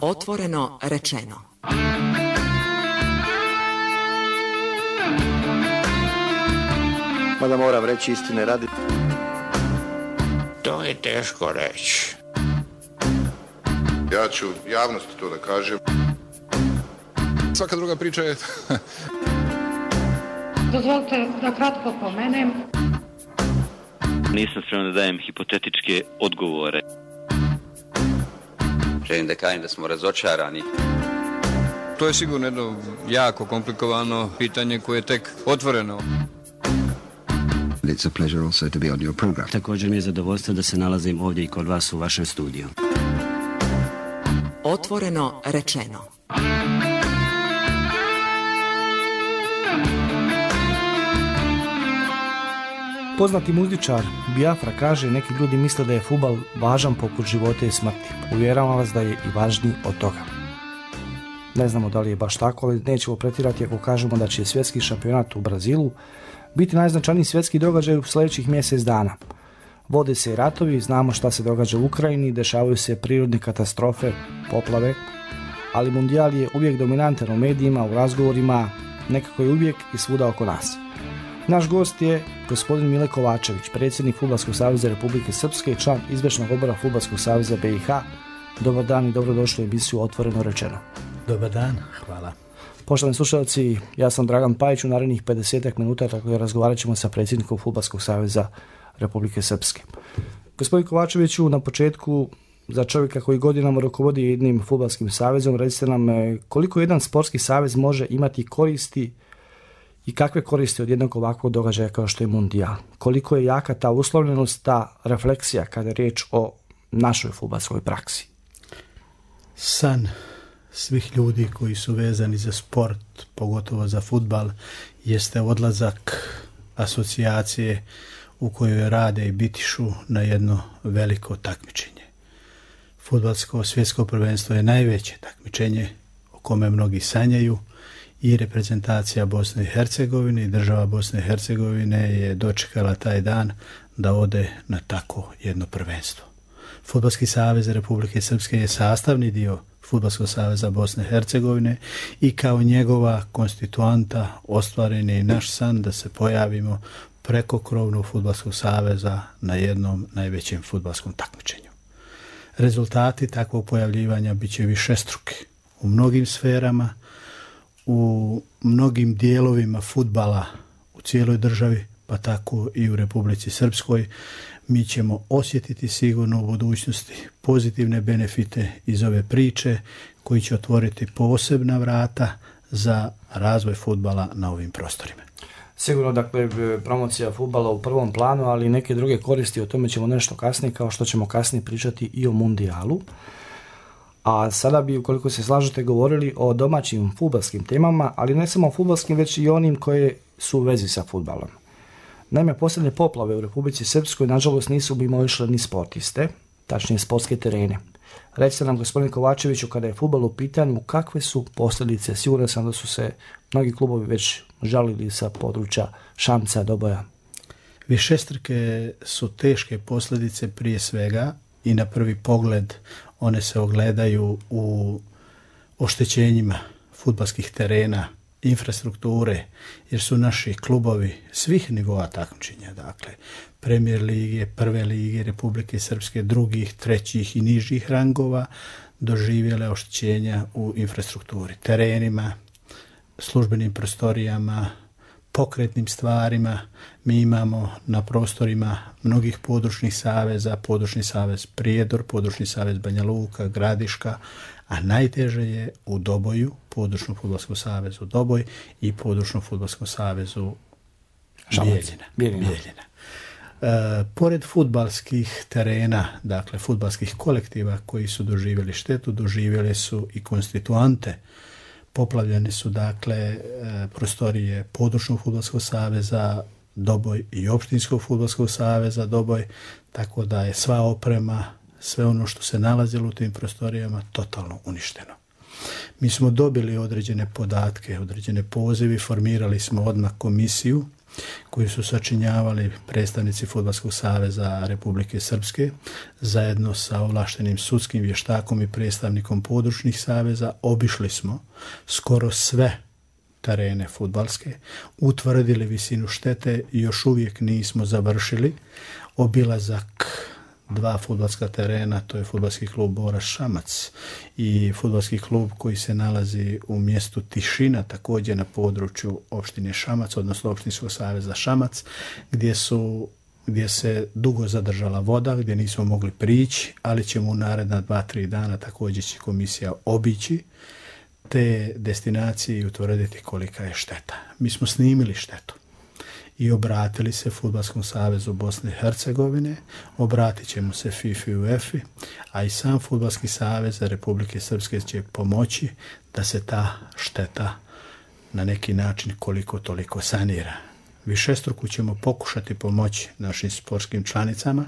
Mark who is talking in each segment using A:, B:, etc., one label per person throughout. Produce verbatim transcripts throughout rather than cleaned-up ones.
A: Otvoreno rečeno.
B: Mada moram reći istine radi.
C: To je teško reći.
D: Ja ću javnosti to da kažem.
E: Svaka druga priča je...
F: Dozvolite da kratko pomenem.
G: Nisam spreman da dajem hipotetičke odgovore.
H: Želim da kažem da smo razočarani.
E: To je sigurno jedno jako komplikovano pitanje koje je tek otvoreno.
I: It's a pleasure also to be on your program.
J: Također mi je zadovoljstvo da se nalazim ovdje i kod vas u vašem studiju.
A: Otvoreno rečeno.
K: Poznati muzičar Biafra kaže, neki ljudi misle da je fudbal važan poput života i smrti. Uvjeravam vas da je i važniji od toga. Ne znamo da li je baš tako, ali nećemo pretirati ako kažemo da će svjetski šampionat u Brazilu biti najznačajniji svjetski događaj u sljedećih mjesec dana. Vode se i ratovi, znamo šta se događa u Ukrajini, dešavaju se prirodne katastrofe, poplave, ali mundijal je uvijek dominantan u medijima, u razgovorima, nekako je uvijek i svuda oko nas. Naš gost je gospodin Mile Kovačević, predsjednik Fudbalskog saveza Republike Srpske i član izvršnog odbora Fudbalskog saveza B i H. Dobar dan i dobrodošli u emisiju Otvoreno rečeno.
L: Dobar dan, hvala.
K: Poštovani slušalci, ja sam Dragan Pajić, u narednih pedesetak minuta tako da razgovarat ćemo sa predsjednikom Fudbalskog saveza Republike Srpske. Gospodin Kovačeviću, na početku, za čovjeka koji godinama rukovodi jednim fudbalskim savezom, recite nam koliko jedan sportski savez može imati koristi i kakve koristi od jednog ovakvog događaja kao što je mundijal? Koliko je jaka ta uslovljenost, ta refleksija kada je riječ o našoj fudbalskoj praksi?
L: San svih ljudi koji su vezani za sport, pogotovo za fudbal, jeste odlazak asocijacije u kojoj rade i bitišu na jedno veliko takmičenje. Fudbalsko svjetsko prvenstvo je najveće takmičenje o kome mnogi sanjaju i reprezentacija Bosne i Hercegovine i država Bosne i Hercegovine je dočekala taj dan da ode na tako jedno prvenstvo. Fudbalski savez Republike Srpske je sastavni dio Fudbalskog saveza Bosne i Hercegovine i kao njegova konstituanta ostvaren je i naš san da se pojavimo preko krovnog Fudbalskog saveza na jednom najvećem fudbalskom takmičenju. Rezultati takvog pojavljivanja bit će višestruki u mnogim sferama, u mnogim dijelovima fudbala u cijeloj državi, pa tako i u Republici Srpskoj. Mi ćemo osjetiti sigurno u budućnosti pozitivne benefite iz ove priče koji će otvoriti posebna vrata za razvoj fudbala na ovim prostorima.
K: Sigurno, dakle, promocija fudbala u prvom planu, ali i neke druge koristi, o tome ćemo nešto kasnije, kao što ćemo kasnije pričati i o mundijalu. A sada bi, ukoliko se slažete, govorili o domaćim fudbalskim temama, ali ne samo fudbalskim, već i onim koje su u vezi sa fudbalom. Naime, posljednje poplave u Republici Srpskoj, nažalost, nisu mimoišle ni sportiste, tačnije sportske terene. Recite nam, gospodine Kovačeviću, kada je fudbal u pitanju, kakve su posljedice? Siguran sam da su se mnogi klubovi već žalili sa područja Šamca, Doboja.
L: Višestruke su teške posljedice prije svega i na prvi pogled one se ogledaju u oštećenjima fudbalskih terena, infrastrukture, jer su naši klubovi svih nivoa takmičenja, dakle Premier lige, Prve lige Republike Srpske, drugih, trećih i nižih rangova, doživjele oštećenja u infrastrukturi, terenima, službenim prostorijama, pokretnim stvarima. Mi imamo na prostorima mnogih područnih saveza, područni savez Prijedor, područni savez Banja Luka, Gradiška, a najteže je u Doboju, područnom fudbalskom savezu Doboj i područnom fudbalskom savezu Bijeljina. Bijeljina. Bijeljina. E, pored fudbalskih terena, dakle fudbalskih kolektiva koji su doživjeli štetu, doživjeli su i konstituante. Poplavljene su dakle e, prostorije područnog fudbalskog saveza Doboj i opštinskog fudbalskog saveza Doboj, tako da je sva oprema, sve ono što se nalazilo u tim prostorijama totalno uništeno. Mi smo dobili određene podatke, određene pozivi, formirali smo odmah komisiju koju su sačinjavali predstavnici Fudbalskog saveza Republike Srpske zajedno sa ovlaštenim sudskim vještakom i predstavnikom područnih saveza. Obišli smo skoro sve terene fudbalske, utvrdili visinu štete i još uvijek nismo završili obilazak dva fudbalska terena, to je fudbalski klub Borac Šamac i fudbalski klub koji se nalazi u mjestu Tišina, također na području opštine Šamac, odnosno opštinskog saveza Šamac, gdje su gdje se dugo zadržala voda, gdje nismo mogli prići, ali ćemo u naredna dva, tri dana također će komisija obići te destinacije i utvrditi kolika je šteta. Mi smo snimili štetu i obratili se Fudbalskom savezu Bosne i Hercegovine, obratit ćemo se FIFA i UEFA, a i sam Fudbalski savez Republike Srpske će pomoći da se ta šteta na neki način koliko toliko sanira. Višestruku ćemo pokušati pomoći našim sportskim članicama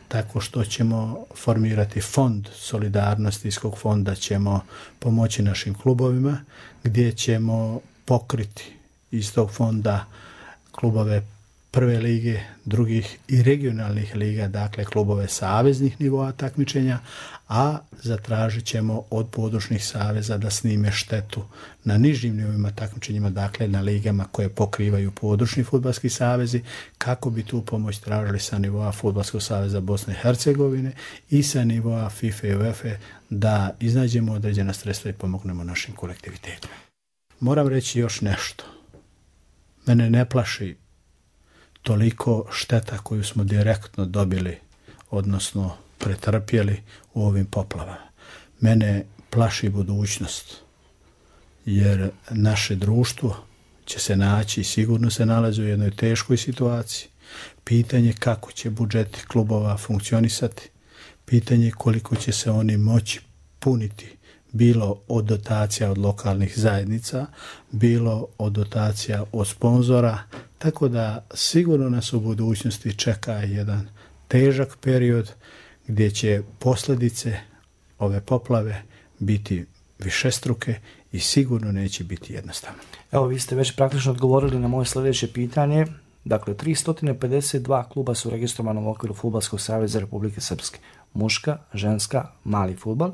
L: tako što ćemo formirati fond solidarnosti, iz kog fonda ćemo pomoći našim klubovima, gdje ćemo pokriti iz tog fonda klubove prve lige, drugih i regionalnih liga, dakle klubove saveznih nivoa takmičenja, a zatražit ćemo od područnih saveza da snime štetu na nižim nivoima takmičenjima, dakle na ligama koje pokrivaju područni fudbalski savezi, kako bi tu pomoć tražili sa nivoa Fudbalskog saveza Bosne i Hercegovine i sa nivoa FIFA i UEFA da iznađemo određena sredstva i pomognemo našim kolektivitetima. Moram reći još nešto. Mene ne plaši toliko šteta koju smo direktno dobili, odnosno pretrpjeli u ovim poplavama. Mene plaši budućnost, jer naše društvo će se naći i sigurno se nalazi u jednoj teškoj situaciji. Pitanje kako će budžeti klubova funkcionisati, pitanje koliko će se oni moći puniti, bilo od dotacija od lokalnih zajednica, bilo od dotacija od sponzora, tako da sigurno nas u budućnosti čeka jedan težak period gdje će posljedice ove poplave biti višestruke i sigurno neće biti jednostavno.
K: Evo, vi ste već praktično odgovorili na moje sljedeće pitanje. Dakle, tristo pedeset dva kluba su registrovana u okviru Fudbalskog saveza Republike Srpske. Muška, ženska, mali fudbal.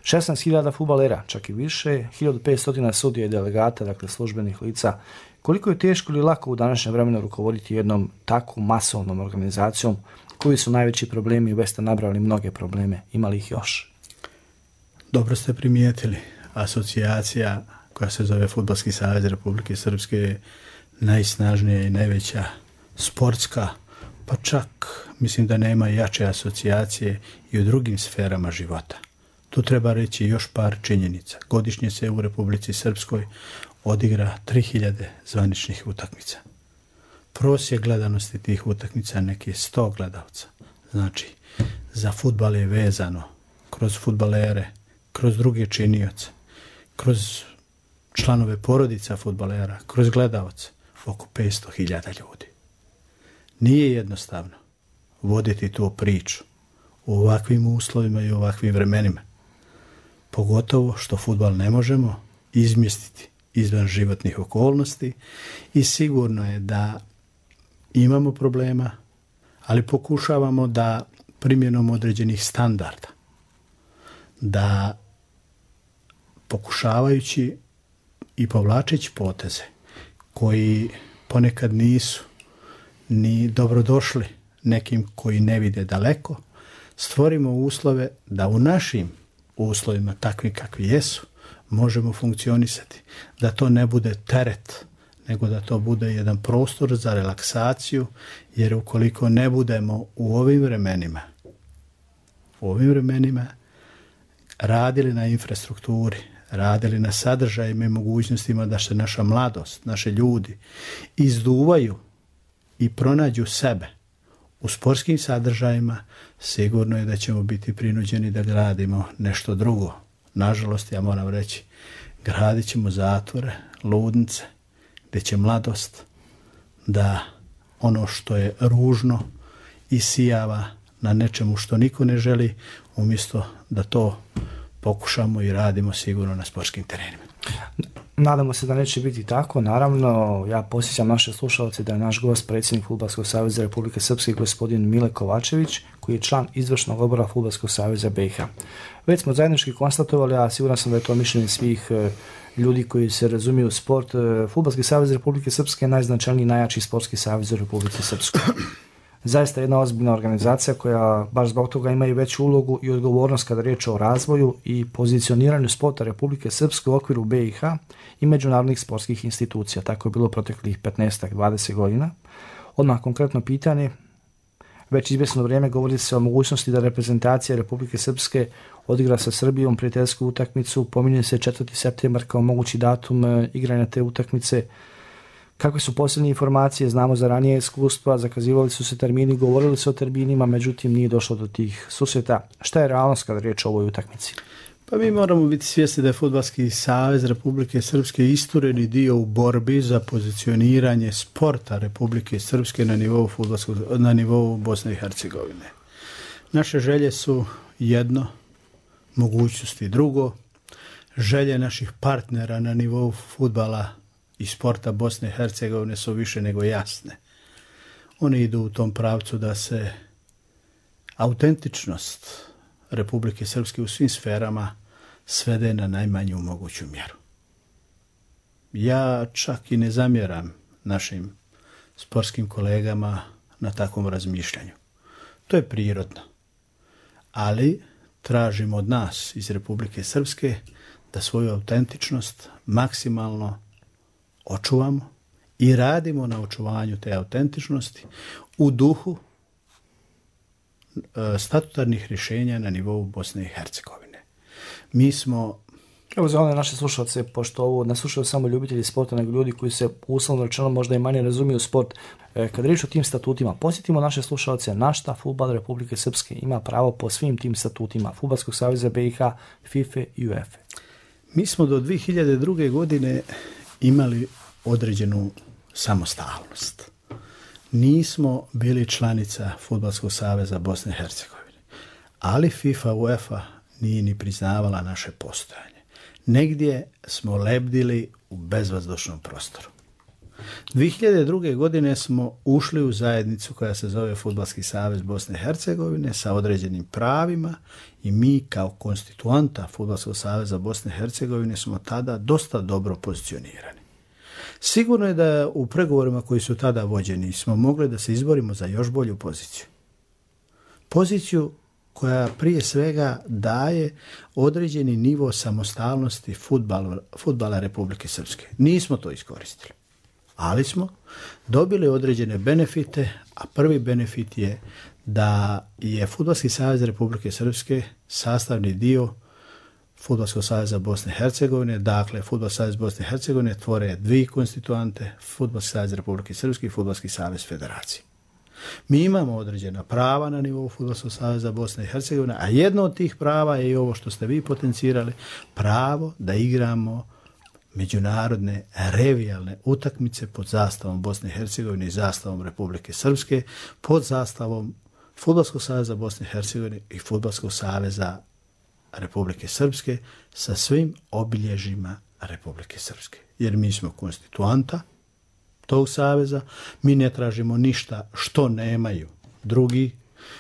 K: šesnaest hiljada fudbalera, čak i više, hiljadu petsto sudija i delegata, dakle službenih lica. Koliko je teško ili lako u današnjem vremenu rukovoditi jednom takvom masovnom organizacijom? Koji su najveći problemi? Već ste nabrali mnoge probleme. Ima li ih još?
L: Dobro ste primijetili. Asocijacija koja se zove Fudbalski savez Republike Srpske je najsnažnija i najveća sportska, pa čak mislim da nema jače asocijacije i u drugim sferama života. Tu treba reći još par činjenica. Godišnje se u Republici Srpskoj odigra tri hiljade zvaničnih utakmica. Prosjek gledanosti tih utakmica neki je sto gledalca. Znači, za fudbal je vezano kroz fudbalere, kroz druge činioce, kroz članove porodica fudbalera, kroz gledalce, oko petsto hiljada ljudi. Nije jednostavno voditi tu priču u ovakvim uslovima i u ovakvim vremenima. Pogotovo što fudbal ne možemo izmjestiti izvan životnih okolnosti i sigurno je da imamo problema, ali pokušavamo da primjenom određenih standarda, da pokušavajući i povlačeći poteze koji ponekad nisu ni dobrodošli nekim koji ne vide daleko, stvorimo uslove da u našim uslovima, takvi kakvi jesu, možemo funkcionisati. Da to ne bude teret, nego da to bude jedan prostor za relaksaciju, jer ukoliko ne budemo u ovim vremenima, u ovim vremenima radili na infrastrukturi, radili na sadržajima i mogućnostima da se naša mladost, naše ljudi izduvaju i pronađu sebe u sportskim sadržajima, sigurno je da ćemo biti prinuđeni da gradimo nešto drugo. Nažalost, ja moram reći, gradit ćemo zatvore, ludnice, gdje će mladost da ono što je ružno isijava na nečemu što niko ne želi, umjesto da to pokušamo i radimo sigurno na sportskim terenima.
K: Nadamo se da neće biti tako. Naravno, ja posjećam naše slušalce da je naš gost predsjednik Fudbalskog saveza Republike Srpske, gospodin Mile Kovačević, koji je član izvršnog odbora Fudbalskog saveza B i H. Već smo zajednički konstatovali, a siguran sam da je to mišljenje svih e, ljudi koji se razumiju u sport. E, Fudbalski savez Republike Srpske je najznačajniji i najjači sportski savez u Republike Srpskoj. Zaista jedna ozbiljna organizacija koja baš zbog toga ima i veću ulogu i odgovornost kada je riječ o razvoju i pozicioniranju sporta Republike Srpske u okviru B i H i međunarodnih sportskih institucija. Tako je bilo proteklih petnaest do dvadeset godina. Odmah konkretno pitanje, već izvjesno vrijeme govori se o mogućnosti da reprezentacija Republike Srpske odigra sa Srbijom prijateljsku utakmicu. Pominje se četvrti septembar kao mogući datum igranja te utakmice. Kakve su posljednje informacije? Znamo za ranije iskustva, zakazivali su se termini, govorili su o terminima, međutim nije došlo do tih susreta. Šta je realnost kada je riječ o ovoj utakmici?
L: Pa mi moramo biti svjesni da je Fudbalski savez Republike Srpske istureni dio u borbi za pozicioniranje sporta Republike Srpske na nivou, fudbalskog, na nivou Bosne i Hercegovine. Naše želje su jedno, mogućnosti drugo. Želje naših partnera na nivou fudbala i sporta Bosne i Hercegovine su više nego jasne. One idu u tom pravcu da se autentičnost Republike Srpske u svim sferama svede na najmanju moguću mjeru. Ja čak i ne zamjeram našim sportskim kolegama na takvom razmišljanju. To je prirodno. Ali tražimo od nas iz Republike Srpske da svoju autentičnost maksimalno očuvamo i radimo na očuvanju te autentičnosti u duhu e, statutarnih rješenja na nivou Bosne i Hercegovine. Mi smo...
K: Evo za one naše slušalce, pošto ovo ne slušaju samo ljubitelji sporta, nego ljudi koji se uslovno rečeno možda i manje razumiju sport. E, kad riječ o tim statutima, posjetimo naše slušalce na šta fudbal Republike Srpske ima pravo po svim tim statutima Fudbalskog saveza B i H, FIFA i UEFA.
L: Mi smo do dvije hiljade druge. godine imali određenu samostalnost. Nismo bili članica Fudbalskog saveza Bosne i Hercegovine, ali FIFA, UEFA nije ni priznavala naše postojanje. Negdje smo lebdili u bezvazdušnom prostoru. dvije hiljade druge. godine smo ušli u zajednicu koja se zove Fudbalski savez Bosne i Hercegovine sa određenim pravima i mi kao konstituanta Fudbalskog saveza Bosne i Hercegovine smo tada dosta dobro pozicionirani. Sigurno je da u pregovorima koji su tada vođeni smo mogli da se izborimo za još bolju poziciju. Poziciju koja prije svega daje određeni nivo samostalnosti fudbala, fudbala Republike Srpske. Nismo to iskoristili, ali smo dobili određene benefite, a prvi benefit je da je Fudbalski savez Republike Srpske sastavni dio Fudbalskog saveza Bosne i Hercegovine, dakle Fudbalski savez Bosne i Hercegovine tvore dvije konstituante, Fudbalski savez Republike Srpske i Fudbalski savez Federacije. Mi imamo određena prava na nivou Fudbalskog saveza Bosne i Hercegovine, a jedno od tih prava je i ovo što ste vi potencirali, pravo da igramo međunarodne revijalne utakmice pod zastavom Bosne i Hercegovine i zastavom Republike Srpske, pod zastavom Fudbalskog saveza Bosne i Hercegovine i Fudbalskog saveza Republike Srpske sa svim obilježjima Republike Srpske. Jer mi smo konstituanta tog saveza, mi ne tražimo ništa što nemaju drugi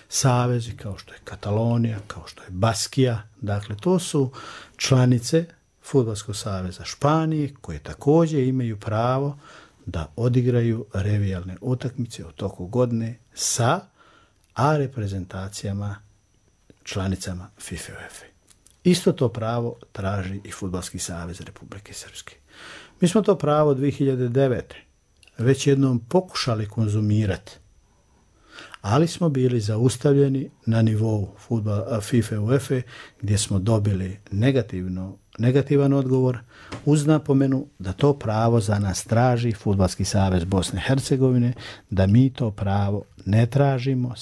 L: savezi, kao što je Katalonija, kao što je Baskija. Dakle, to su članice Fudbalskog saveza Španije, koje također imaju pravo da odigraju revijalne utakmice u toku godine sa A reprezentacijama članicama FIFA i UEFA. Isto to pravo traži i Fudbalski savez Republike Srpske. Mi smo to pravo dvije hiljade devete. već jednom pokušali konzumirati, ali smo bili zaustavljeni na nivou fudbala, FIFA i UEFA, gdje smo dobili negativno, negativan odgovor uz napomenu da to pravo za nas traži Fudbalski savez Bosne i Hercegovine, da mi to pravo ne tražimo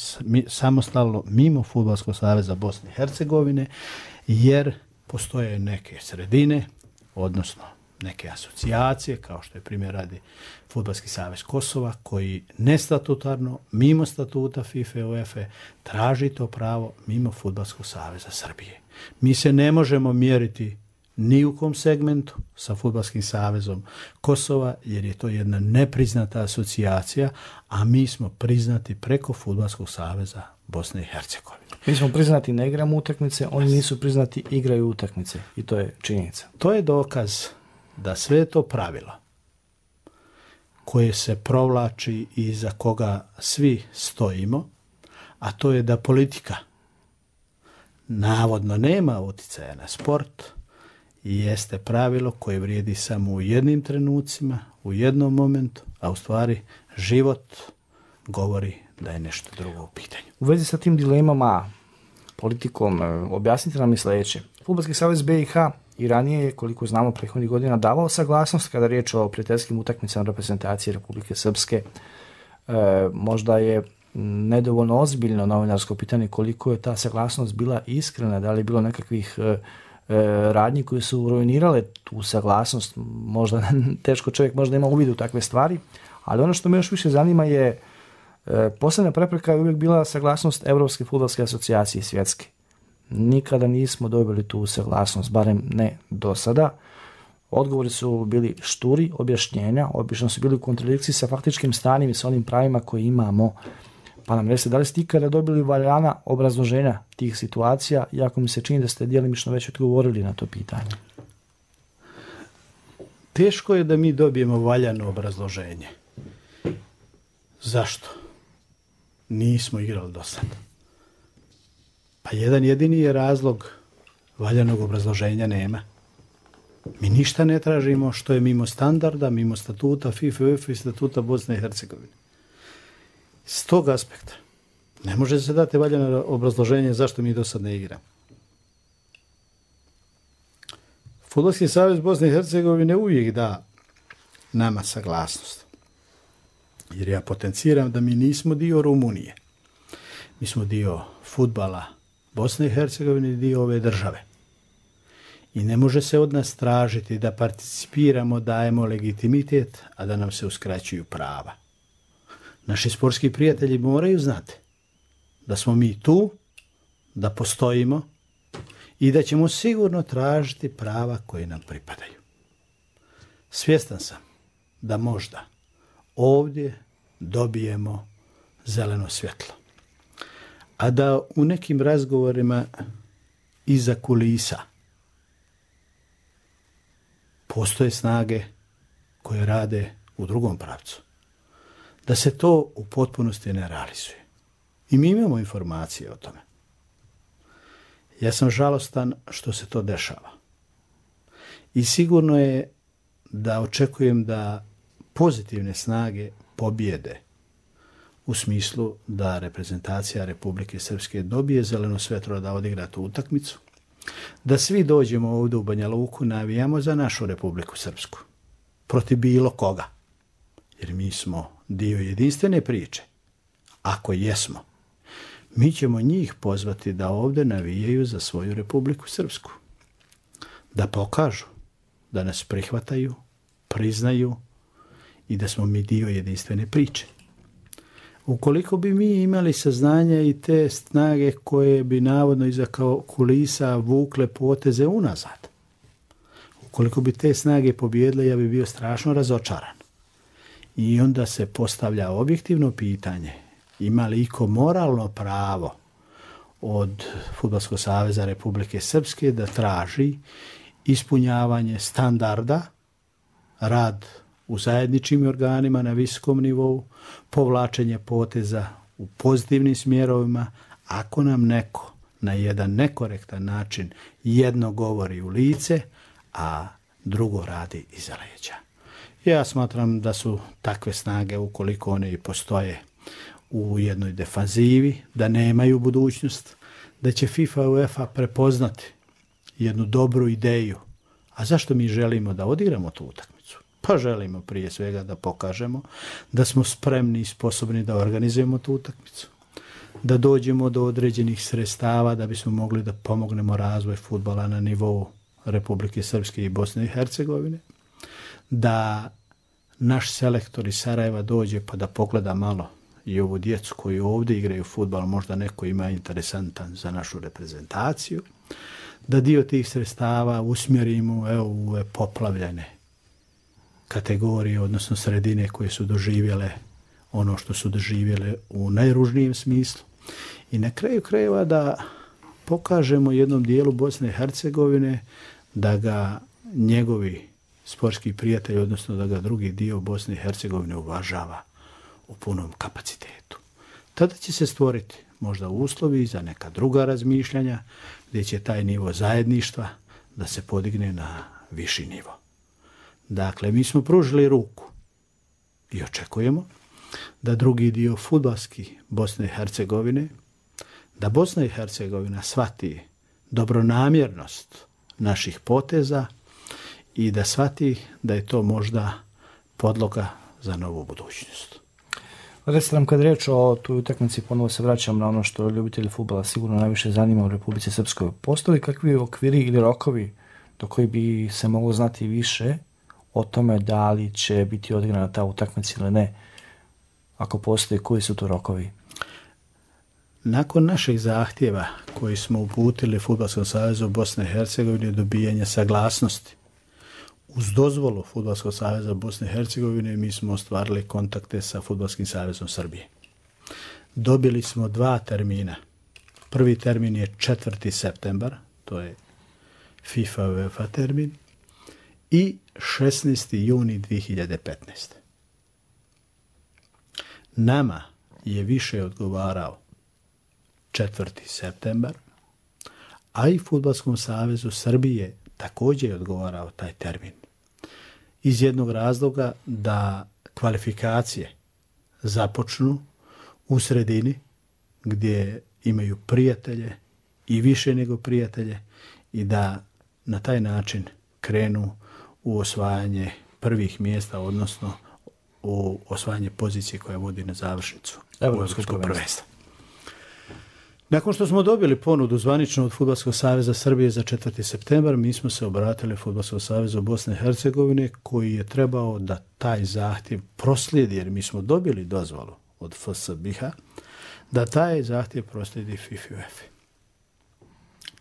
L: samostalno mimo Fudbalskog saveza Bosne i Hercegovine, jer postoje neke sredine, odnosno neke asocijacije, kao što je primjer radi Fudbalski savez Kosova, koji nestatutarno, mimo statuta FIFA i UEFA, traži to pravo mimo Fudbalskog saveza Srbije. Mi se ne možemo mjeriti ni u kom segmentu sa Fudbalskim savezom Kosova, jer je to jedna nepriznata asocijacija, a mi smo priznati preko Fudbalskog saveza Bosne i Hercegovine.
K: Mi smo priznati, ne igramo utakmice, oni nisu priznati, igraju utakmice i to je činjenica.
L: To je dokaz da sve to pravilo koje se provlači i za koga svi stojimo, a to je da politika navodno nema utjecaja na sport, i jeste pravilo koje vrijedi samo u jednim trenucima, u jednom momentu, a u stvari život govori da je nešto drugo u pitanju.
K: U vezi sa tim dilemama, politikom, objasnite nam je sljedeće. Fudbalski savez B i H i ranije je, koliko znamo, prethodnih godina davao saglasnost kada je riječ o prijateljskim utakmicama reprezentacije Republike Srpske. E, možda je nedovoljno ozbiljno novinarsko pitanje koliko je ta saglasnost bila iskrena, da li je bilo nekakvih e, radnji koje su ruinirale tu saglasnost. Možda teško čovjek možda ima uvid u takve stvari, ali ono što me još više zanima je e, posljednja prepreka je uvijek bila saglasnost Europske fudbalske asocijacije svjetske. Nikada nismo dobili tu saglasnost, barem ne do sada. Odgovori su bili šturi, objašnjenja, obično su bili u kontradikciji sa faktičkim stanjem i sa onim pravima koje imamo. Pa nam recite, da li ste ikada dobili valjana obrazloženja tih situacija, iako mi se čini da ste djelimično već odgovorili na to pitanje?
L: Teško je da mi dobijemo valjano obrazloženje. Zašto? Nismo igrali do sada. Pa jedan jedini je razlog, valjanog obrazloženja nema. Mi ništa ne tražimo što je mimo standarda, mimo statuta FIFA, UEFA i statuta Bosne i Hercegovine. S tog aspekta ne može se dati valjano obrazloženje zašto mi do sad ne igramo. Fudbalski savez Bosne i Hercegovine uvijek da nama saglasnost. Jer ja potenciram da mi nismo dio Rumunije. Mi smo dio fudbala Bosne i Hercegovine i dio ove države. I ne može se od nas tražiti da participiramo, dajemo legitimitet, a da nam se uskraćuju prava. Naši sportski prijatelji moraju znati da smo mi tu, da postojimo i da ćemo sigurno tražiti prava koje nam pripadaju. Svjestan sam da možda ovdje dobijemo zeleno svjetlo, a da u nekim razgovorima iza kulisa postoje snage koje rade u drugom pravcu. Da se to u potpunosti ne realizuje. I mi imamo informacije o tome. Ja sam žalostan što se to dešava. I sigurno je da očekujem da pozitivne snage pobjede u smislu da reprezentacija Republike Srpske dobije zeleno svjetlo da odigra tu utakmicu, da svi dođemo ovdje u Banja Luku, navijamo za našu Republiku Srpsku, protiv bilo koga, jer mi smo dio jedinstvene priče. Ako jesmo, mi ćemo njih pozvati da ovdje navijaju za svoju Republiku Srpsku, da pokažu da nas prihvataju, priznaju i da smo mi dio jedinstvene priče. Ukoliko bi mi imali saznanja i te snage koje bi navodno iza kulisa vukle poteze unazad, ukoliko bi te snage pobjedile, ja bi bio strašno razočaran. I onda se postavlja objektivno pitanje, ima li iko moralno pravo od Fudbalskog saveza Republike Srpske da traži ispunjavanje standarda, rad u zajedničkim organima na visokom nivou, povlačenje poteza u pozitivnim smjerovima, ako nam neko na jedan nekorektan način jedno govori u lice, a drugo radi iza leđa. Ja smatram da su takve snage, ukoliko one i postoje u jednoj defanzivi, da nemaju budućnost, da će FIFA i UEFA prepoznati jednu dobru ideju. A zašto mi želimo da odigramo tu utakmicu? Pa želimo prije svega da pokažemo da smo spremni i sposobni da organizujemo tu utakmicu, da dođemo do određenih sredstava da bismo mogli da pomognemo razvoj fudbala na nivou Republike Srpske i Bosne i Hercegovine, da naš selektor iz Sarajeva dođe pa da pogleda malo i ovu djecu koji ovdje igraju fudbal, možda neko ima interesantan za našu reprezentaciju, da dio tih sredstava usmjerimo evo, u ove poplavljene kategorije, odnosno sredine koje su doživjele ono što su doživjele u najružnijem smislu. I na kraju krajeva da pokažemo jednom dijelu Bosne i Hercegovine da ga njegovi sportski prijatelji, odnosno da ga drugi dio Bosne i Hercegovine uvažava u punom kapacitetu. Tada će se stvoriti možda uslovi za neka druga razmišljanja gdje će taj nivo zajedništva da se podigne na viši nivo. Dakle, mi smo pružili ruku i očekujemo da drugi dio fudbalski Bosne i Hercegovine, da Bosna i Hercegovina shvati dobronamjernost naših poteza i da shvati da je to možda podloga za novu budućnost.
K: Recite nam, kad riječ o toj utakmici, ponovo se vraćam na ono što ljubitelji fudbala sigurno najviše zanima u Republici Srpskoj. Postoji kakvi okviri ili rokovi do koji bi se moglo znati više o tome da li će biti odigrana ta utakmica ili ne? Ako postoji, koji su to rokovi?
L: Nakon naših zahtjeva koji smo uputili Fudbalskom savezu Bosne i Hercegovine dobijanja saglasnosti, uz dozvolu Fudbalskog saveza Bosne i Hercegovine mi smo ostvarili kontakte sa Fudbalskim savezom Srbije. Dobili smo dva termina. Prvi termin je četvrti septembar, to je FIFA UEFA termin, i šesnaesti juni dvije hiljade petnaeste. Nama je više odgovarao četvrti septembar, a i Fudbalskom savezu Srbije također je odgovarao taj termin. Iz jednog razloga da kvalifikacije započnu u sredini gdje imaju prijatelje i više nego prijatelje i da na taj način krenu u osvajanje prvih mjesta, odnosno u osvajanje pozicije koja vodi na završnicu Europskog prvenstva. Nakon što smo dobili ponudu zvanično od Fudbalskog saveza Srbije za četvrti septembar, mi smo se obratili Fudbalskom savezu Bosne i Hercegovine koji je trebao da taj zahtjev proslijedi, jer mi smo dobili dozvolu od F S B I H-a, da taj zahtjev proslijedi FIFA UEFA.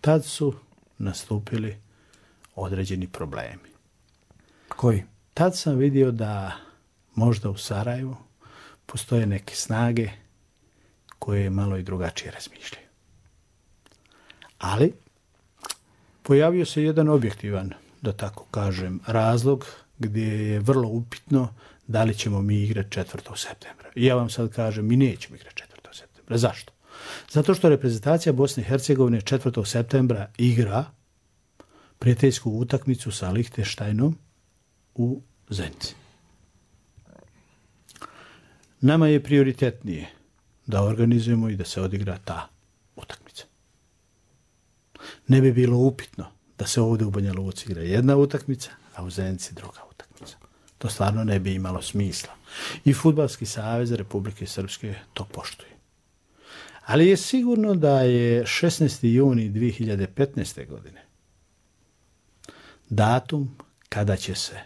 L: Tad su nastupili određeni problemi.
K: Koji?
L: Tad sam vidio da možda u Sarajevu postoje neke snage koje malo i drugačije razmišljaju. Ali pojavio se jedan objektivan, da tako kažem, razlog gdje je vrlo upitno da li ćemo mi igrati četvrtog septembra. I ja vam sad kažem, mi nećemo igrati četvrtog septembra. Zašto? Zato što reprezentacija Bosne i Hercegovine četvrtog septembra igra prijateljsku utakmicu sa Lichtensteinom u Zenici. Nama je prioritetnije da organizujemo i da se odigra ta utakmica. Ne bi bilo upitno da se ovdje u Banja Luci igra jedna utakmica, a u Zenici druga utakmica. To stvarno ne bi imalo smisla. I Fudbalski savez Republike Srpske to poštuje. Ali je sigurno da je šesnaesti juni dvije hiljade petnaeste. godine datum kada će se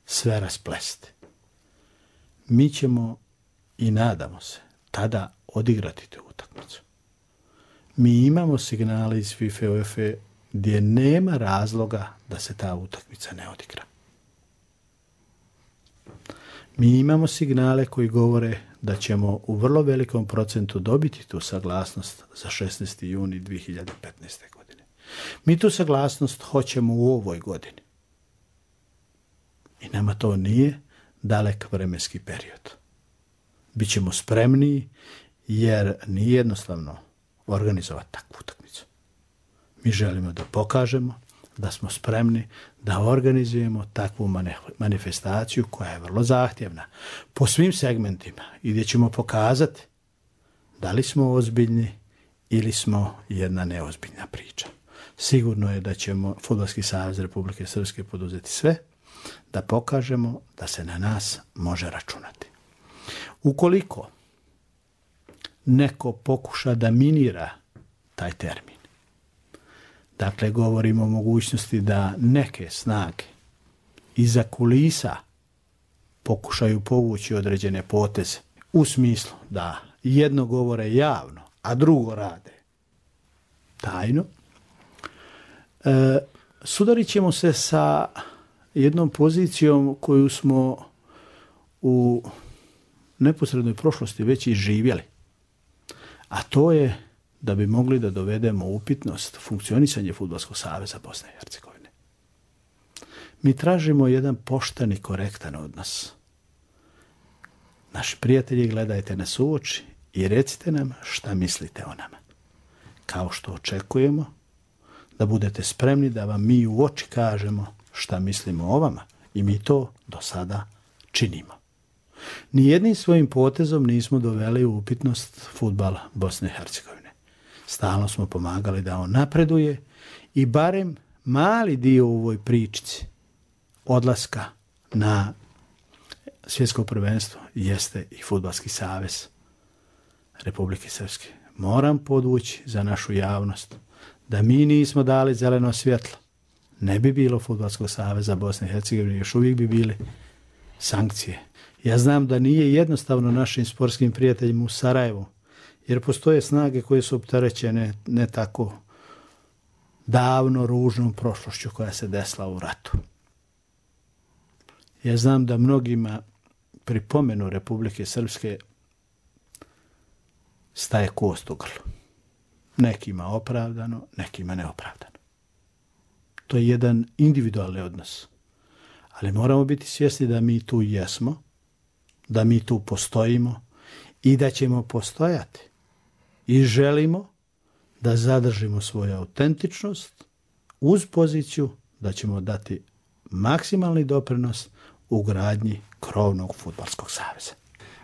L: sve rasplesti. Mi ćemo i nadamo se tada odigrati tu utakmicu. Mi imamo signale iz FIFA UEFA gdje nema razloga da se ta utakmica ne odigra. Mi imamo signale koji govore da ćemo u vrlo velikom procentu dobiti tu saglasnost za šesnaesti juni dvije hiljade petnaeste. godine. Mi tu saglasnost hoćemo u ovoj godini. I nama to nije dalek vremenski period. Bićemo spremniji jer nije jednostavno organizovati takvu utakmicu. Mi želimo da pokažemo da smo spremni da organizujemo takvu manifestaciju koja je vrlo zahtjevna po svim segmentima i gdje ćemo pokazati da li smo ozbiljni ili smo jedna neozbiljna priča. Sigurno je da ćemo Fudbalski savez Republike Srpske poduzeti sve da pokažemo da se na nas može računati. Ukoliko neko pokuša da minira taj termin, dakle govorimo o mogućnosti da neke snage iza kulisa pokušaju povući određene poteze u smislu da jedno govore javno, a drugo rade tajno, E, sudarit ćemo se sa jednom pozicijom koju smo u neposrednoj prošlosti već i živjeli. A to je da bi mogli da dovedemo upitnost funkcionisanje Fudbalskog saveza Bosne i Hercegovine. Mi tražimo jedan pošten i korektan odnos. Naši prijatelji, gledajte nas u oči i recite nam šta mislite o nama. Kao što očekujemo da budete spremni da vam mi u oči kažemo šta mislimo o vama. I mi to do sada činimo. Nijednim svojim potezom nismo doveli u upitnost fudbala Bosne i Hercegovine. Stalno smo pomagali da on napreduje i barem mali dio u ovoj pričici odlaska na svjetsko prvenstvo jeste i Fudbalski savez Republike Srpske. Moram podvući za našu javnost da mi nismo dali zeleno svjetlo. Ne bi bilo Fudbalskog saveza Bosne i Hercegovine, još uvijek bi bili sankcije. Ja znam da nije jednostavno našim sportskim prijateljima u Sarajevu, jer postoje snage koje su opterećene ne tako davno ružnom prošlošću koja se desila u ratu. Ja znam da mnogima pri pomenu Republike Srpske staje kost u grlu. Nekima opravdano, nekima neopravdano. To je jedan individualni odnos. Ali moramo biti svjesni da mi tu jesmo, da mi tu postojimo i da ćemo postojati. I želimo da zadržimo svoju autentičnost uz poziciju da ćemo dati maksimalni doprinos u gradnji krovnog Fudbalskog saveza.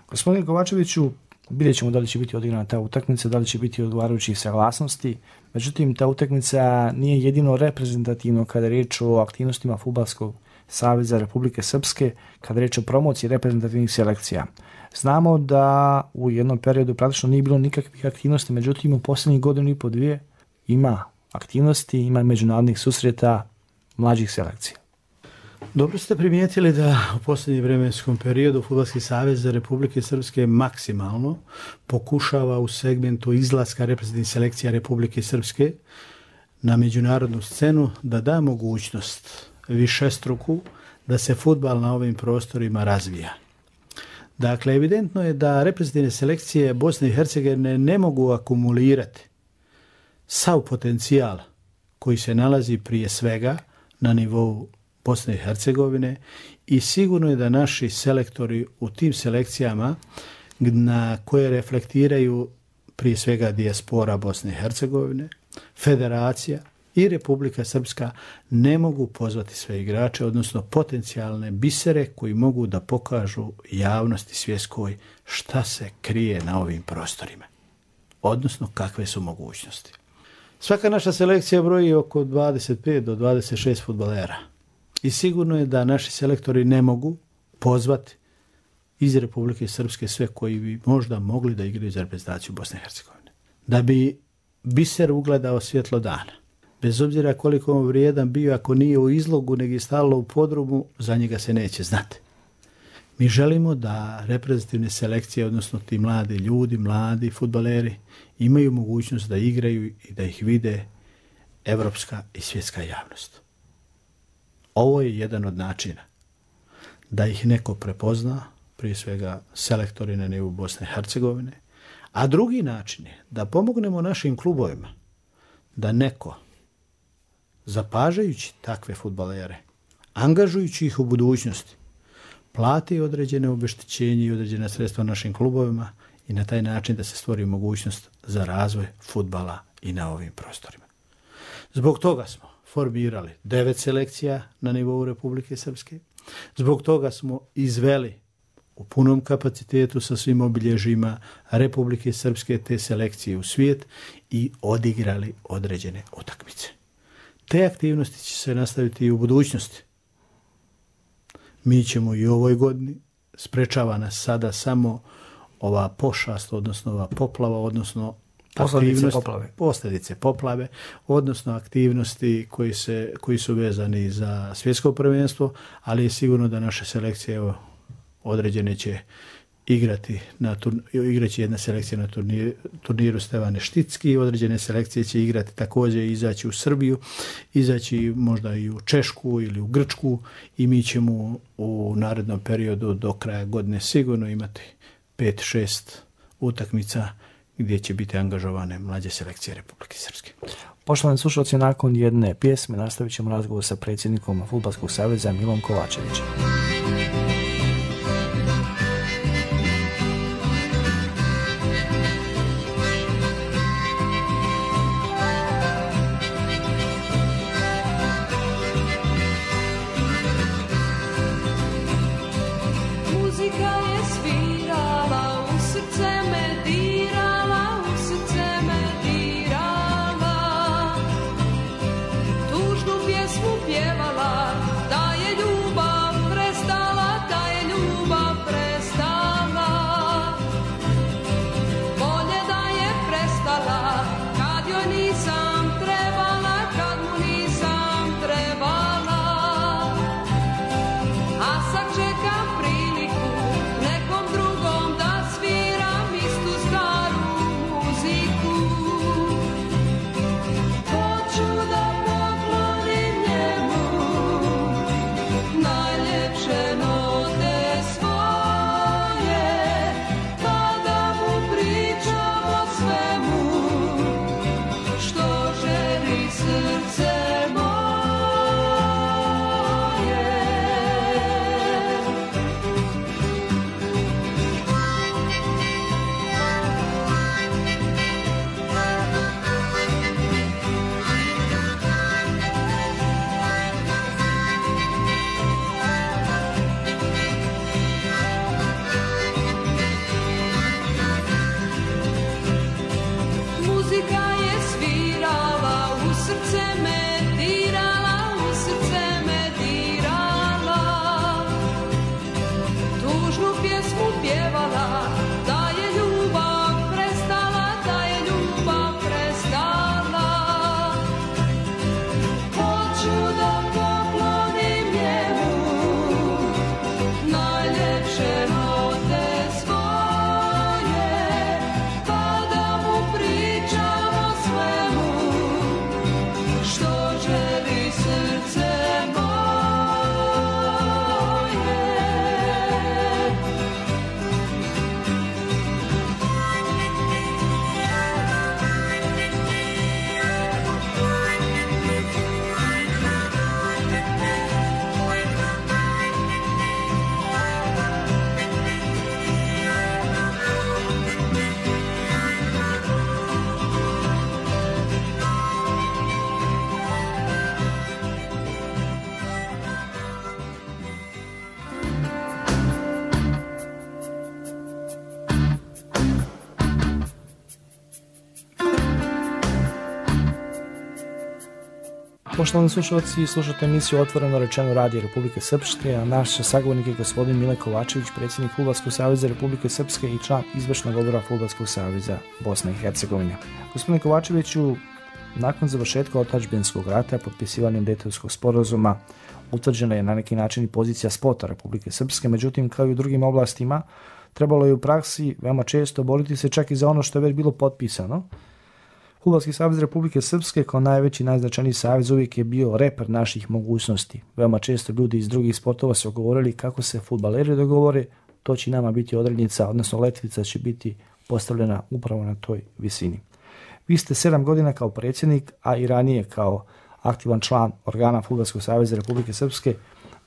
K: Gospodine Kovačeviću, vidjet ćemo da li će biti odigrana ta utakmica, da li će biti odgovarajućih saglasnosti. Međutim, ta utakmica nije jedino reprezentativno kada je riječ o aktivnostima Fudbalskog saveza Republike Srpske, kada je riječ o promociji reprezentativnih selekcija. Znamo da u jednom periodu praktično nije bilo nikakvih aktivnosti, međutim u posljednjih godinu i po dvije ima aktivnosti, ima međunarodnih susreta mlađih selekcija.
L: Dobro ste primijetili da u posljednjem vremenskom periodu Fudbalski savez Republike Srpske maksimalno pokušava u segmentu izlaska reprezentativnih selekcija Republike Srpske na međunarodnu scenu da da mogućnost višestruku da se fudbal na ovim prostorima razvija. Dakle, evidentno je da reprezentativne selekcije Bosne i Hercegovine ne mogu akumulirati sav potencijal koji se nalazi prije svega na nivou Bosne i Hercegovine i sigurno je da naši selektori u tim selekcijama na koje reflektiraju prije svega dijaspora Bosne i Hercegovine, federacija i Republika Srpska ne mogu pozvati sve igrače, odnosno potencijalne bisere koji mogu da pokažu javnosti svjetskoj šta se krije na ovim prostorima, odnosno kakve su mogućnosti. Svaka naša selekcija broji oko dvadeset pet do dvadeset šest fudbalera i sigurno je da naši selektori ne mogu pozvati iz Republike Srpske sve koji bi možda mogli da igraju za reprezentaciju Bosne i Hercegovine. Da bi biser ugledao svjetlo dana, bez obzira koliko on vrijedan bio, ako nije u izlogu, nego je stalno u podrumu, za njega se neće znati. Mi želimo da reprezentativne selekcije, odnosno ti mladi ljudi, mladi fudbaleri, imaju mogućnost da igraju i da ih vide evropska i svjetska javnost. Ovo je jedan od načina da ih neko prepozna, prije svega selektori na nivou Bosne i Hercegovine, a drugi način je da pomognemo našim klubovima da neko, zapažajući takve fudbalere, angažujući ih u budućnosti, plati određene obeštećenje i određena sredstva našim klubovima i na taj način da se stvori mogućnost za razvoj fudbala i na ovim prostorima. Zbog toga smo formirali devet selekcija na nivou Republike Srpske. Zbog toga smo izveli u punom kapacitetu sa svim obilježjima Republike Srpske te selekcije u svijet i odigrali određene utakmice. Te aktivnosti će se nastaviti i u budućnosti. Mi ćemo i u ovoj godini, sprečava nas sada samo ova pošast, odnosno ova poplava, odnosno
K: posljedice poplave.
L: posljedice poplave, odnosno aktivnosti koji, se, koji su vezani za svjetsko prvenstvo, ali je sigurno da naše selekcije evo, određene će igrati na turniru, igraće jedna selekcija na turniru, turniru Stevane Šticki, određene selekcije će igrati također, izaći u Srbiju, izaći možda i u Češku ili u Grčku i mi ćemo u narednom periodu do kraja godine sigurno imati pet šest utakmica gdje će biti angažovane mlađe selekcije Republike Srpske.
K: Poštovani slušalci, nakon jedne pjesme nastavit ćemo razgovor sa predsjednikom Fudbalskog saveza Milom Kovačevićem. Poštovani slušalci, slušate emisiju Otvoreno rečeno Radio Republike Srpske, a naš sagovornik je gospodin Mile Kovačević, predsjednik Fudbalskog saveza Republike Srpske i član izvršnog odbora Fudbalskog saveza Bosne i Hercegovine. Gospodine Kovačeviću, nakon završetka otadžbinskog rata, potpisivanjem Dejtonskog sporazuma, utvrđena je na neki način i pozicija spota Republike Srpske, međutim, kao i u drugim oblastima, trebalo je u praksi veoma često boriti se čak i za ono što je već bilo potpisano. Fudbalski savez Republike Srpske kao najveći i najznačajniji savez uvijek je bio reper naših mogućnosti. Veoma često ljudi iz drugih sportova su govorili kako se fudbaleri dogovore, to će nama biti odrednica, odnosno letvica će biti postavljena upravo na toj visini. Vi ste sedam godina kao predsjednik, a i ranije kao aktivan član organa Fudbalskog saveza Republike Srpske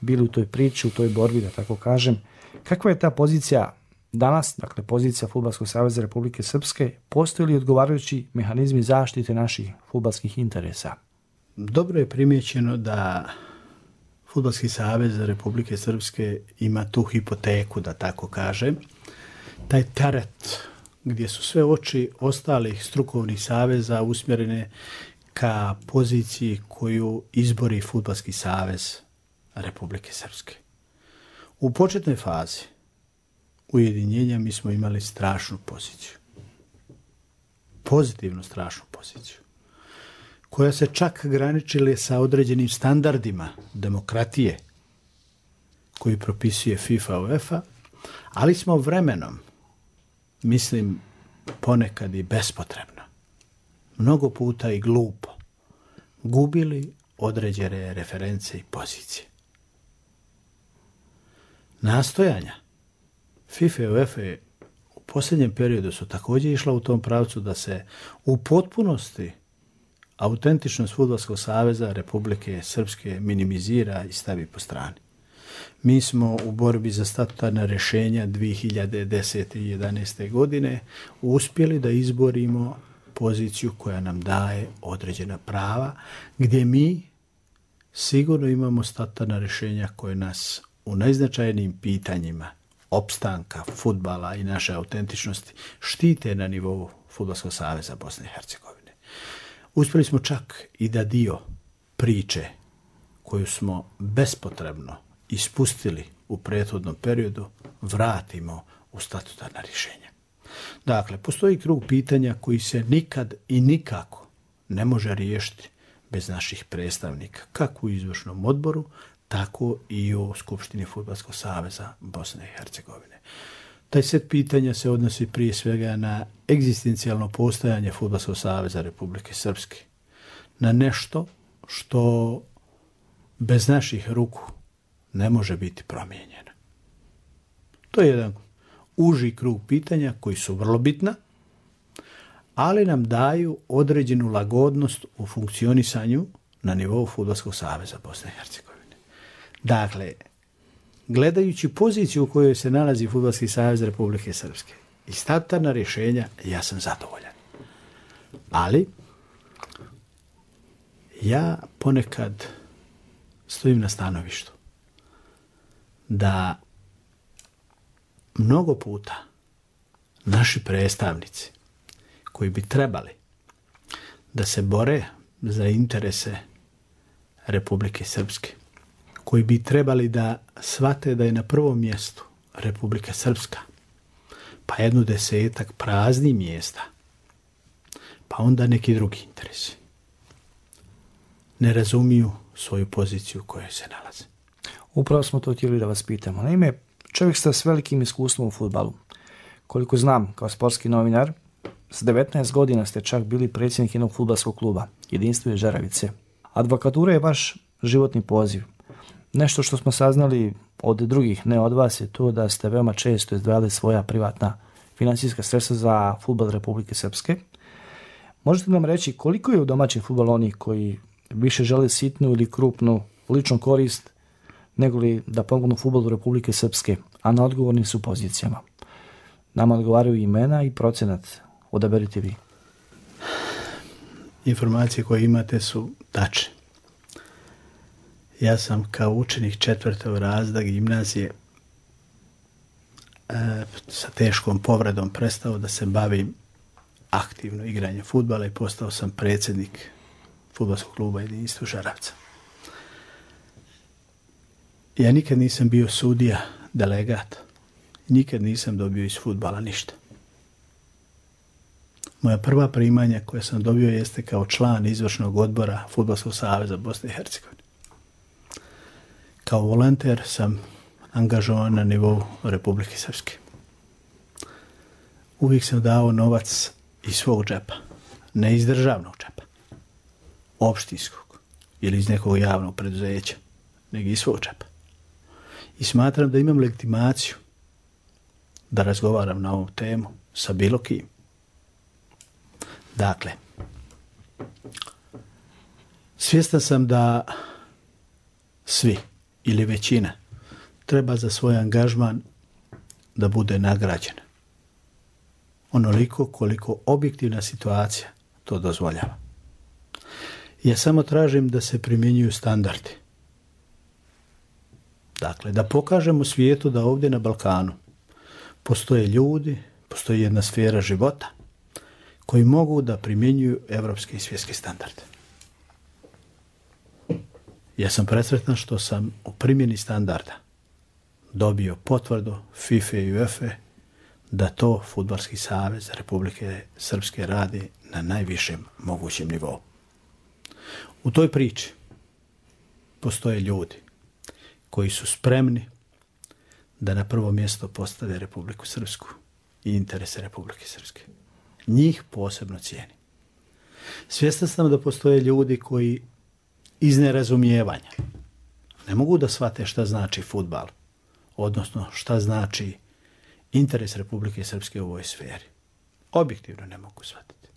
K: bili u toj priči, u toj borbi, da tako kažem. Kakva je ta pozicija danas, dakle pozicija Fudbalskog saveza Republike Srpske, postoji li odgovarajući mehanizmi zaštite naših fudbalskih interesa?
L: Dobro je primjećeno da Fudbalski savez Republike Srpske ima tu hipoteku, da tako kažem, taj teret gdje su sve oči ostalih strukovnih saveza usmjerene ka poziciji koju izbori Fudbalski savez Republike Srpske. U početnoj fazi ujedinjenja mi smo imali strašnu poziciju. Pozitivno strašnu poziciju. Koja se čak graničila sa određenim standardima demokratije koji propisuje FIFA, UEFA, Ali smo vremenom, mislim, ponekad i bespotrebno, mnogo puta i glupo, gubili određene reference i pozicije. Nastojanja FIFA i UEFA u posljednjem periodu su također išla u tom pravcu da se u potpunosti autentičnost Fudbalskog saveza Republike Srpske minimizira i stavi po strani. Mi smo u borbi za statutarna rješenja dvije hiljade desete i jedanaeste. godine uspjeli da izborimo poziciju koja nam daje određena prava, gdje mi sigurno imamo statutarna rješenja koje nas u najznačajnijim pitanjima opstanka fudbala i naše autentičnosti štite na nivou Fudbalskog saveza Bosne i Hercegovine. Uspjeli smo čak i da dio priče koju smo bespotrebno ispustili u prethodnom periodu vratimo u statutarna rješenja. Dakle, postoji krug pitanja koji se nikad i nikako ne može riješiti bez naših predstavnika, kako u izvršnom odboru, tako i u Skupštini Fudbalskog saveza Bosne i Hercegovine. Taj set pitanja se odnosi prije svega na egzistencijalno postojanje Fudbalskog saveza Republike Srpske, na nešto što bez naših ruku ne može biti promijenjeno. To je jedan uži krug pitanja koji su vrlo bitna, ali nam daju određenu lagodnost u funkcionisanju na nivou Fudbalskog saveza Bosne i Hercegovine. Dakle, gledajući poziciju u kojoj se nalazi Fudbalski savez Republike Srpske i statutarna rješenja, ja sam zadovoljan. Ali, ja ponekad stojim na stanovištu da mnogo puta naši predstavnici koji bi trebali da se bore za interese Republike Srpske, koji bi trebali da shvate da je na prvom mjestu Republika Srpska, pa jednu desetak praznih mjesta, pa onda neki drugi interesi, ne razumiju svoju poziciju u kojoj se nalaze.
K: Upravo smo to htjeli da vas pitamo. Naime, čovjek ste s velikim iskustvom u fudbalu. Koliko znam, kao sportski novinar, s devetnaest godina ste čak bili predsjednik jednog fudbalskog kluba, Jedinstvo iz Žeravice. Advokatura je vaš životni poziv. Nešto što smo saznali od drugih, ne od vas, je to da ste veoma često izdvajali svoja privatna financijska sredstva za fudbal Republike Srpske. Možete nam reći koliko je u domaćem fudbalu onih koji više žele sitnu ili krupnu ličnu korist nego li da pomognu fudbalu Republike Srpske, a na odgovornim su pozicijama? Nama odgovaraju imena i procenat. Odaberite vi.
L: Informacije koje imate su tačne. Ja sam kao učenik četvrtog razreda gimnazije e, sa teškom povredom prestao da se bavim aktivno igranjem fudbala i postao sam predsjednik Fudbalskog kluba Jedinstvo Žeravca. Ja nikad nisam bio sudija, delegat. Nikad nisam dobio iz fudbala ništa. Moja prva primanja koja sam dobio jeste kao član izvršnog odbora Fudbalskog saveza Bosne i Hercegovine. Kao volonter sam angažovan na nivou Republike Srpske. Uvijek sam dao novac iz svog džepa, ne iz državnog džepa, opštinskog ili iz nekog javnog preduzeća, nego iz svog džepa. I smatram da imam legitimaciju da razgovaram na ovu temu sa bilo kim. Dakle, svjestan sam da svi ili većina treba za svoj angažman da bude nagrađena. Onoliko koliko objektivna situacija to dozvoljava. Ja samo tražim da se primjenjuju standardi. Dakle, da pokažemo svijetu da ovdje na Balkanu postoje ljudi, postoji jedna sfera života koji mogu da primjenjuju evropske i svjetske standarde. Ja sam presretan što sam u primjeni standarda dobio potvrdu FIFA i UEFA da to Fudbalski savez Republike Srpske radi na najvišem mogućem nivou. U toj priči postoje ljudi koji su spremni da na prvo mjesto postave Republiku Srpsku i interese Republike Srpske. Njih posebno cijeni. Svjestan sam da postoje ljudi koji iz nerazumijevanja ne mogu da shvate šta znači fudbal, odnosno šta znači interes Republike Srpske u ovoj sferi. Objektivno ne mogu shvatiti.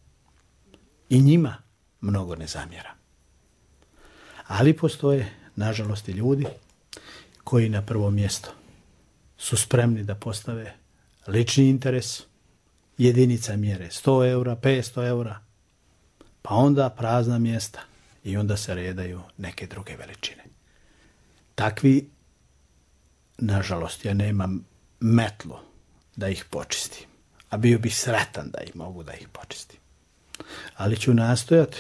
L: I njima mnogo ne zamjera. Ali postoje, nažalost, i ljudi koji na prvo mjesto su spremni da postave lični interes, jedinica mjere sto eura, petsto eura, pa onda prazna mjesta i onda se redaju neke druge veličine. Takvi, nažalost, ja nemam metlu da ih počistim, a bio bih sretan da ih mogu da ih počistim. Ali ću nastojati,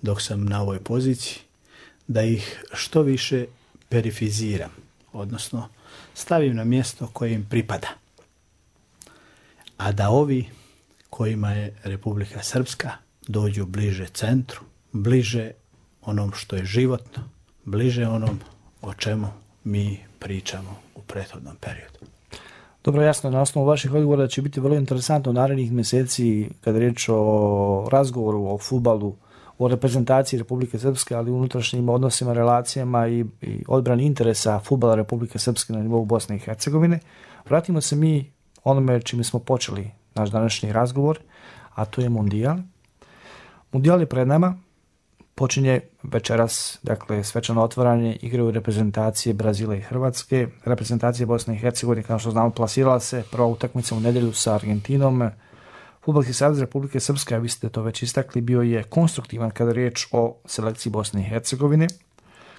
L: dok sam na ovoj poziciji, da ih što više perifiziram, odnosno stavim na mjesto koje im pripada. A da ovi kojima je Republika Srpska dođu bliže centru, bliže onom što je životno, bliže onom o čemu mi pričamo u prethodnom periodu.
K: Dobro, jasno, na osnovu vaših odgovora da će biti vrlo interesantno u narednih mjeseci kada je riječ o razgovoru o fudbalu, o reprezentaciji Republike Srpske, ali u unutrašnjim odnosima, relacijama i, i odbrani interesa fudbala Republike Srpske na nivou Bosne i Hercegovine. Vratimo se mi onome čime smo počeli naš današnji razgovor, a to je Mundijal. Mundijal je pred nama, počinje večeras, dakle, svečano otvaranje igre u reprezentacije Brazila i Hrvatske. Reprezentacija Bosne i Hercegovine, kao što znamo, plasirala se prva utakmica u nedjelju sa Argentinom. Fudbalski savez Republike Srpske, a vi ste to već istakli, bio je konstruktivan kada je riječ o selekciji Bosne i Hercegovine.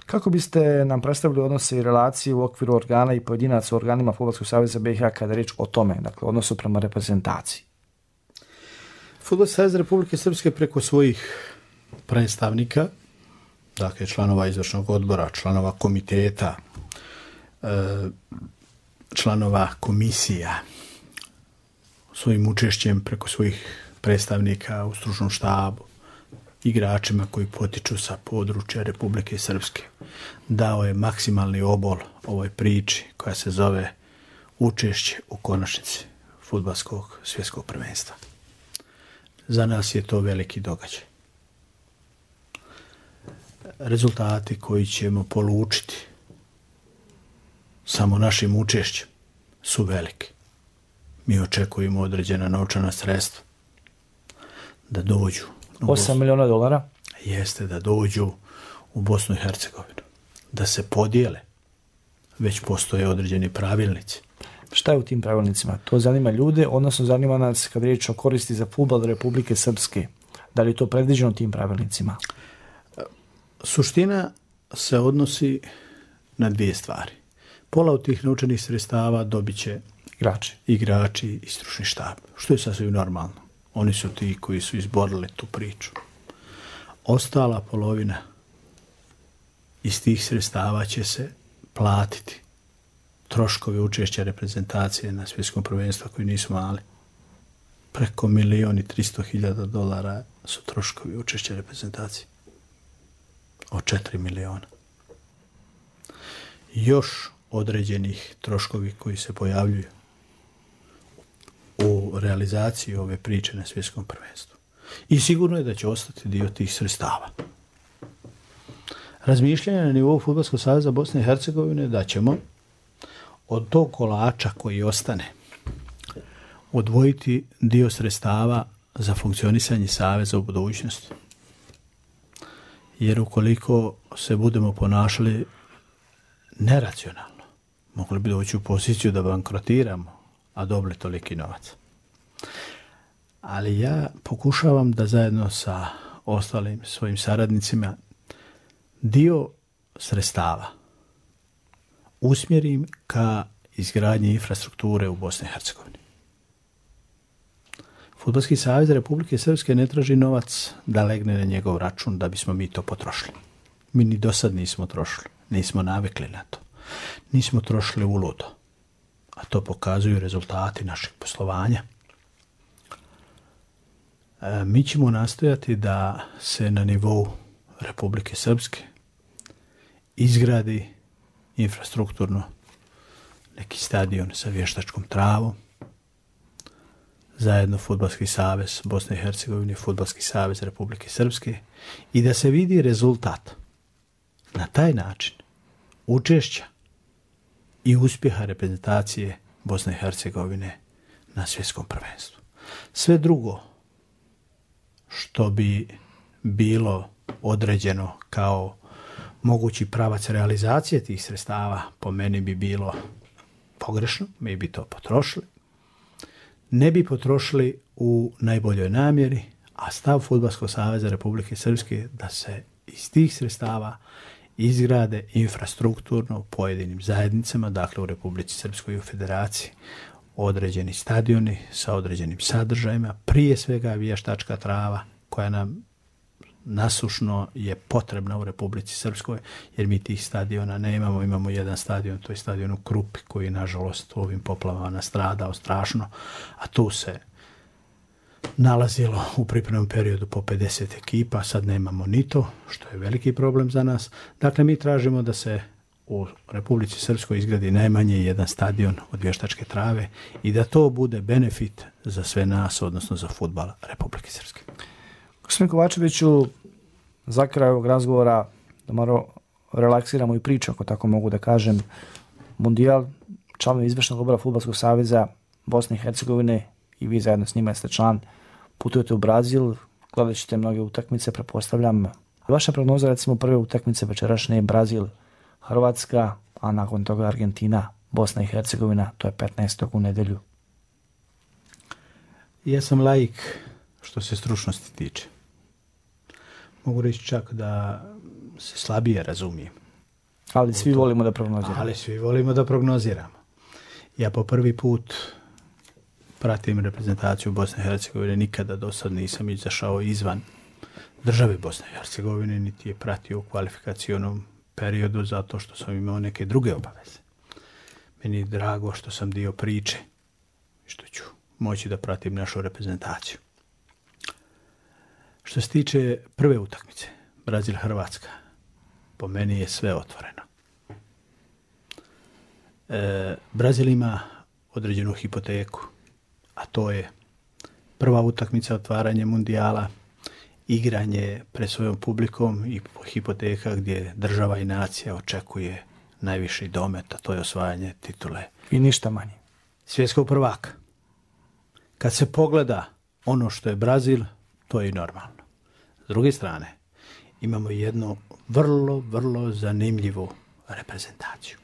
K: Kako biste nam predstavili odnose i relacije u okviru organa i pojedinaca u organima Fudbalskog saveza B i H kada je riječ o tome, dakle, odnosu prema reprezentaciji?
L: Fudbalski savez Republike Srpske preko svojih predstavnika, dakle članova izvršnog odbora, članova komiteta, članova komisija, svojim učešćem preko svojih predstavnika u stručnom štabu, igračima koji potiču sa područja Republike Srpske, dao je maksimalni obol ovoj priči koja se zove učešće u konačnici fudbalskog svjetskog prvenstva. Za nas je to veliki događaj. Rezultati koji ćemo polučiti samo našim učešćem su veliki. Mi očekujemo određena novčana sredstva da dođu.
K: osam miliona dolara?
L: Jeste, da dođu u Bosnu i Hercegovinu. Da se podijele. Već postoje određeni pravilnici.
K: Šta je u tim pravilnicima? To zanima ljude, odnosno zanima nas kad riječ o koristi za fudbal Republike Srpske. Da li je to predviđeno tim pravilnicima?
L: Suština se odnosi na dvije stvari. Pola od tih novčanih sredstava dobit će
K: igrači.
L: igrači i stručni štab, što je sasvim normalno. Oni su ti koji su izborili tu priču. Ostala polovina iz tih sredstava će se platiti troškovi učešća reprezentacije na svjetskom prvenstvu koji nisu mali. Preko milijon i tristo hiljada dolara su troškovi učešća reprezentacije. Od četiri miliona. Još određenih troškovi koji se pojavljuju u realizaciji ove priče na svjetskom prvenstvu. I sigurno je da će ostati dio tih sredstava. Razmišljanje na nivou Fudbalskog saveza Bosne i Hercegovine da ćemo od tog kolača koji ostane odvojiti dio sredstava za funkcionisanje saveza u budućnosti. Jer ukoliko se budemo ponašali neracionalno, mogli bi doći u poziciju da bankrotiramo, a dobili toliki novac. Ali ja pokušavam da zajedno sa ostalim svojim saradnicima dio sredstava usmjerim ka izgradnji infrastrukture u Bosni i Hercegovini. Fudbalski savez Republike Srpske ne traži novac da legne na njegov račun da bismo mi to potrošili. Mi ni do sad nismo trošili, nismo navikli na to. Nismo trošili uludo, a to pokazuju rezultati našeg poslovanja. E, mi ćemo nastojati da se na nivou Republike Srpske izgradi infrastrukturno neki stadion sa vještačkom travom, zajedno Fudbalski savez Bosne i Hercegovine i Fudbalski savez Republike Srpske i da se vidi rezultat na taj način učešća i uspjeha reprezentacije Bosne i Hercegovine na svjetskom prvenstvu. Sve drugo što bi bilo određeno kao mogući pravac realizacije tih sredstava po meni bi bilo pogrešno, mi bi to potrošili. Ne bi potrošili u najboljoj namjeri, a stav Fudbalskog saveza Republike Srpske da se iz tih sredstava izgrade infrastrukturno u pojedinim zajednicama, dakle u Republici Srpskoj i u Federaciji, određeni stadioni sa određenim sadržajima, prije svega vještačka trava koja nam nasušno je potrebna u Republici Srpskoj, jer mi tih stadiona ne imamo. Imamo jedan stadion, to je stadion u Krupi, koji nažalost u ovim poplavama nastradao strašno, a tu se nalazilo u pripremnom periodu po pedeset ekipa, sad nemamo ni to, što je veliki problem za nas. Dakle, mi tražimo da se u Republici Srpskoj izgradi najmanje jedan stadion od vještačke trave i da to bude benefit za sve nas, odnosno za fudbal Republike Srpske.
K: Gospodin Kovačeviću, za kraj ovog razgovora da malo relaksiramo i priču, ako tako mogu da kažem. Mundijal, članovi izvršnog odbora Fudbalskog saveza Bosne i Hercegovine i vi zajedno s njima ste član, putujete u Brazil, gledat ćete mnoge utakmice, pretpostavljam. Vaša prognoza, recimo, prve utakmice večerašnje Brazil, Hrvatska, a nakon toga Argentina, Bosna i Hercegovina, to je petnaestog u nedjelju.
L: Ja sam laik što se stručnosti tiče. Mogu reći čak da se slabije razumijem.
K: Ali svi volimo da prognoziramo.
L: Ali svi volimo da prognoziramo. Ja po prvi put pratim reprezentaciju Bosne i Hercegovine, nikada do sad nisam izašao izvan države Bosne i Hercegovine, niti je pratio u kvalifikacionom periodu zato što sam imao neke druge obaveze. Meni je drago što sam dio priče i što ću moći da pratim našu reprezentaciju. Što se tiče prve utakmice, Brazil-Hrvatska, po meni je sve otvoreno. E, Brazil ima određenu hipoteku, a to je prva utakmica otvaranje mundijala, igranje pred svojom publikom i hipoteka gdje država i nacija očekuje najviši domet, a to je osvajanje titule.
K: I ništa manje.
L: Svjetskog prvaka. Kad se pogleda ono što je Brazil, to je i normalno. S druge strane, imamo jednu vrlo, vrlo zanimljivu reprezentaciju.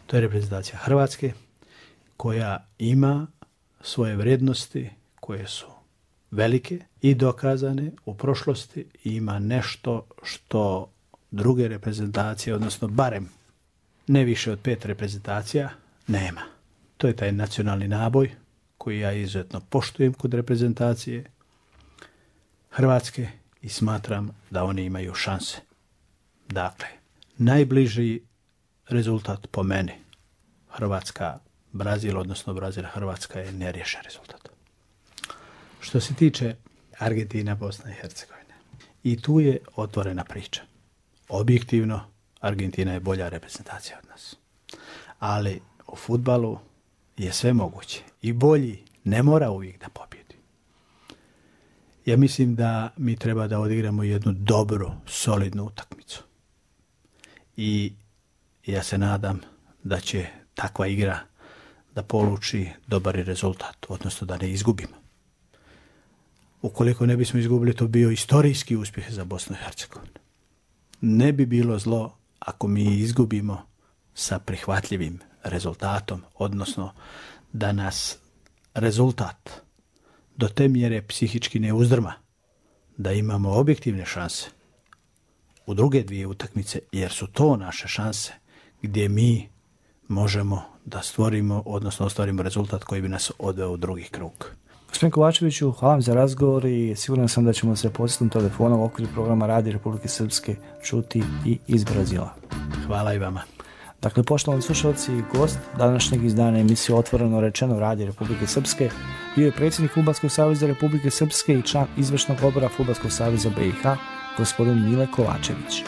L: To je reprezentacija Hrvatske, koja ima svoje vrijednosti koje su velike i dokazane u prošlosti i ima nešto što druge reprezentacije, odnosno barem ne više od pet reprezentacija, nema. To je taj nacionalni naboj koji ja izuzetno poštujem kod reprezentacije Hrvatske i smatram da oni imaju šanse. Dakle, najbliži rezultat po meni Hrvatska Brazil, odnosno Brazil Hrvatska je neriješen rezultat. Što se tiče Argentina, Bosna i Hercegovine, i tu je otvorena priča. Objektivno, Argentina je bolja reprezentacija od nas. Ali u fudbalu je sve moguće. I bolji ne mora uvijek da pobjedi. Ja mislim da mi treba da odigramo jednu dobru, solidnu utakmicu. I ja se nadam da će takva igra da poluči dobar rezultat, odnosno da ne izgubimo. Ukoliko ne bismo izgubili, to bio istorijski uspjeh za Bosnu i Hercegovinu. Ne bi bilo zlo ako mi izgubimo sa prihvatljivim rezultatom, odnosno da nas rezultat do te mjere psihički ne uzdrma, da imamo objektivne šanse u druge dvije utakmice, jer su to naše šanse gdje mi možemo da stvorimo, odnosno ostvarimo rezultat koji bi nas odveo u drugi krug.
K: Gospodin Kovačeviću, hvala vam za razgovor i siguran sam da ćemo se posjetom telefonom u okviru programa Radija Republike Srpske čuti i iz Brazila.
L: Hvala i vama.
K: Dakle, poštovani slušalci, gost današnjeg izdanja emisije Otvoreno rečeno Radija Republike Srpske bio je predsjednik Fudbalskog saveza Republike Srpske i član izvršnog odbora Fudbalskog saveza B i H, gospodin Mile Kovačević.